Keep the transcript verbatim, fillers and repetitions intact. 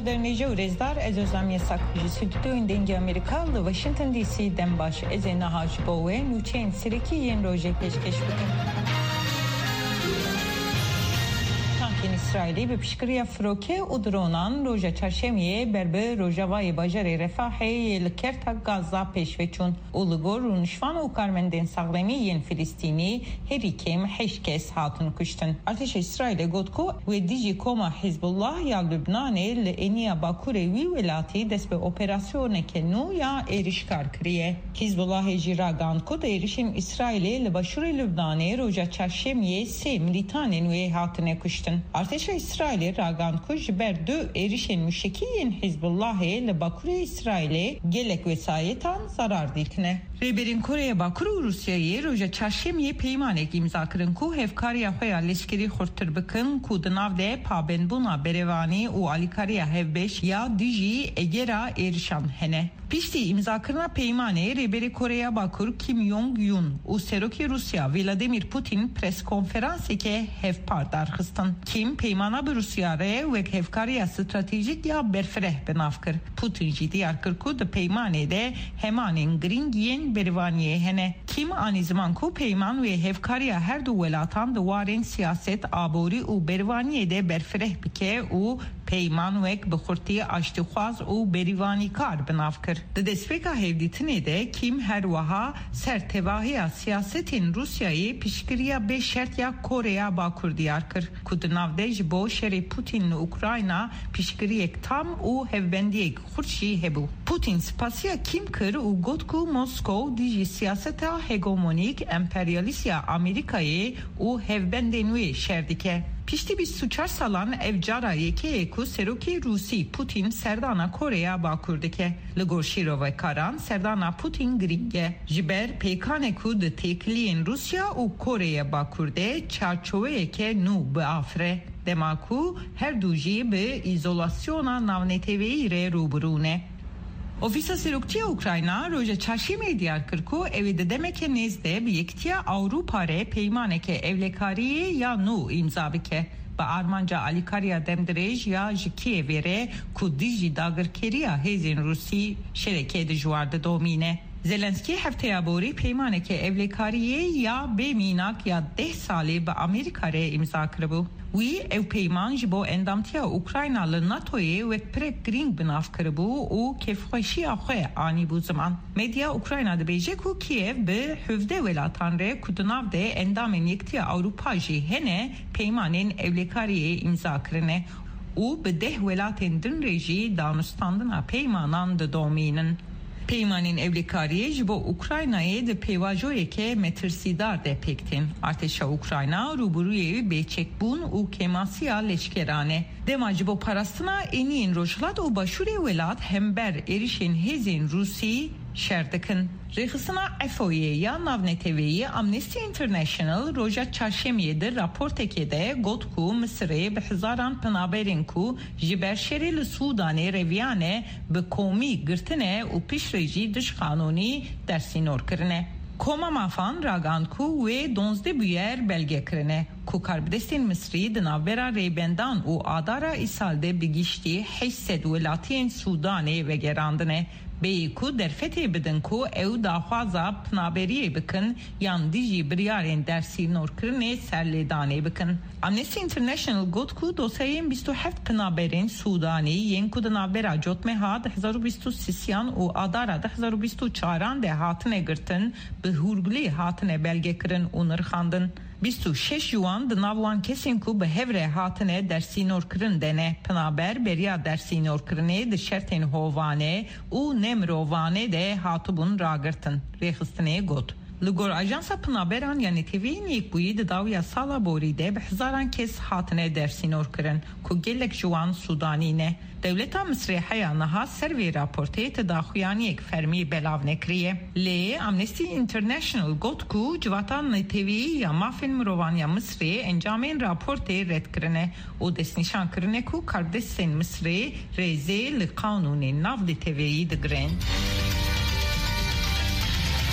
Dernêje û rêzdar, ez Özlem Yasak. Ji stûdyoyên Dengê Amerîka li Washington D C dem baş. Ez ê niha ji bo we nûçeyên serekî yên rojê pêşkêş bikim. Tankên Îsraîlî bi piştgiriya firoke û dronan roja çarşemiyê ber bi rojavayê bajarê Refahê yê li kerta Gaza pêşve çûn û li gor rûnişvan û karmendên saxlemî yên Filistînî herî kêm heşt kes hatin kuştin. Artêşa Îsraîlê got ku wê dijî koma Hizbullah ya Lubnanê li êniya bakurê wî welatî dest bi operasyoneke nû ya êrişkar kiriye. Hizbullahê jî ragihand ku di êrişên Îsraîlê li başûrê Lubnanê roja çarşemiyê sê milîtanên wê hatine kuştin. Artêşa Îsraîlê ragihand ku ji ber du êrişên muşekî yên Hizbullahê li bakurê Îsraîlê gelek wesayetan zarar dîtine. Rêberên Koreya Bakur û Rûsyayê roja çarşemiyê peymanek îmza kirin ku hevkariya xwe ya leşkerî xurttir bikin, ku di nav de pabendbûna berevanî û alîkariya hevbeş ya dijî egera êrişan hene. Piştî îmzakirina peymanê, Rêberê Koreya Bakur Kim Jong Un û Serokê Rûsya Vladimir Putin preskonferanseke hevpar darxistin. Kim peymana bi Rûsya re wek hevkariya stratejîk ya berfireh bi nav kir. Putin jî diyar kir ku di peymanê de hemanên girîng yên berivaniyê hene. Kim anî ziman ku peyman wê hevkariya her du welatan di warên siyaset, aborî û berivaniyê de berfireh bike û peyman wek bi xurtî aştîxwaz û berîvanîkar bi nav kir. Di destpêka hevdîtinê de Kim her wiha ser tevahiya siyasetên Rûsyayê piştgiriya bê şert ya Koreya Bakur diyar kir, ku di nav de ji bo şerê Putin li Ukrayna piştgiriyek tam û hevbendiyek xurt jî hebû. Putin spasiya Kim kir û got ku Moskow dijî siyaseta hegemonîk emperyalîst ya Amerîkayê û hevbendên wê şer dike. Piştî bîst û çar salan ev cara yekê ye ku serokê Rûsî Putin serdana Koreya Bakur dike. Li gor şîrovekaran serdana Putin girîng e. Ji ber pêkanê ku di têkiliyên Rûsya û Koreya Bakur de çarçoweyeke nû biafire. Dema ku her du jî bi îzolasyona navneteweyî re rûbirû ne. Ofîsa Seroktiya Ukrayna roja çarşemê diyar kir ku ew ê di demeke nêz de bi Yekitiya Ewropa re peymaneke ewlekariyê ya nû îmza bike, bi armanca alîkariya demdirêj ya ji Kîevê re ku dijî dagirkeriya hêzên Rûsî şerekê dijwar didomîne. Zelenskî hefteya borî peymaneke ewlekariyê ya bê mînak ya deh salî bi Amerîka re îmza kiribû. Wî ew peyman ji bo endamtiya Ukrayna li NATOyê wek pirek girîng bi nav kiribû û kêfxweşiya xwe anîbû ziman. Medya Ukrayna dibêje ku Kiev bi hevdeh welatan re ku di nav de endamên Yekitiya Ewropa jî hene, peymanên ewlekariyê îmza kirine û bi deh welatên din re jî danûstandina peymanan didomînin. Peymanên ewlekariyê ji bo Ukraynayê di pêvajoyeke metirsîdar de pêk tên. Artêşa Ukrayna rûbirûyê bêçekbûn û kêmasiya leşkeran e. Dema ji bo parastina êniyên rojhilat û başûrê welat hember êrişên hêzên Rûsî şer dikin. Rêxistina EFOyê ya navneteweyî Amnesty International roja çarşemiyê di raportekê de got ku Misirê bi hezaran penaberên ku ji ber şerê li Sûdanê reviyane bi komî girtine û piştre jî dijqanûnî dersînor kirine. Koma Mafan ragihand ku wê duwazdeh bûyer belge kirine ku karbidestên Misrî di navbera Rêbendan û Adara îsal de bi giştî heşt sed welatiyên Sûdanê vegerandine. Bêyî ku derfetê bidin ku ew daxwaza pinaberiyê bikin yan dijî biryarên dersînorkirinê serlêdanê bikin. Amnesty International got ku dosyayên bîst û heft pinaberên Sûdanî yên ku di navbera Cotmeha di hezar û bîst û sêyan û Adara di hezar û bîst û çaran de hatine girtin, bi hûrgulî hatine belgekirin û nirxandin. Bîst û şeş ji wan di nav wan kesên ku bi hev re hatine dersînorkirin de ne. Pinaber beriya dersînorkirinê di şertên hovane û nemirovane de hatibûn ragirtin, rêxistinê got. Li gor Ajansa Pinaberan ya Neteweyên Yekbûyî di dawiya sala borî de bi hezaran kes hatine dersînorkirin ku gelek ji wan Sûdanî ne. Dewleta Misrê heya niha ser vê raportê ti daxuyaniyek fermî belav nekiriye. Lê Amnesty International got ku Civata Neteweyî ya Mafên Mirovan ya Misrê encamên raportê red kirine û destnîşan kirine ku karbidestên Misrê rêzê li qanûnên navneteweyî digirin.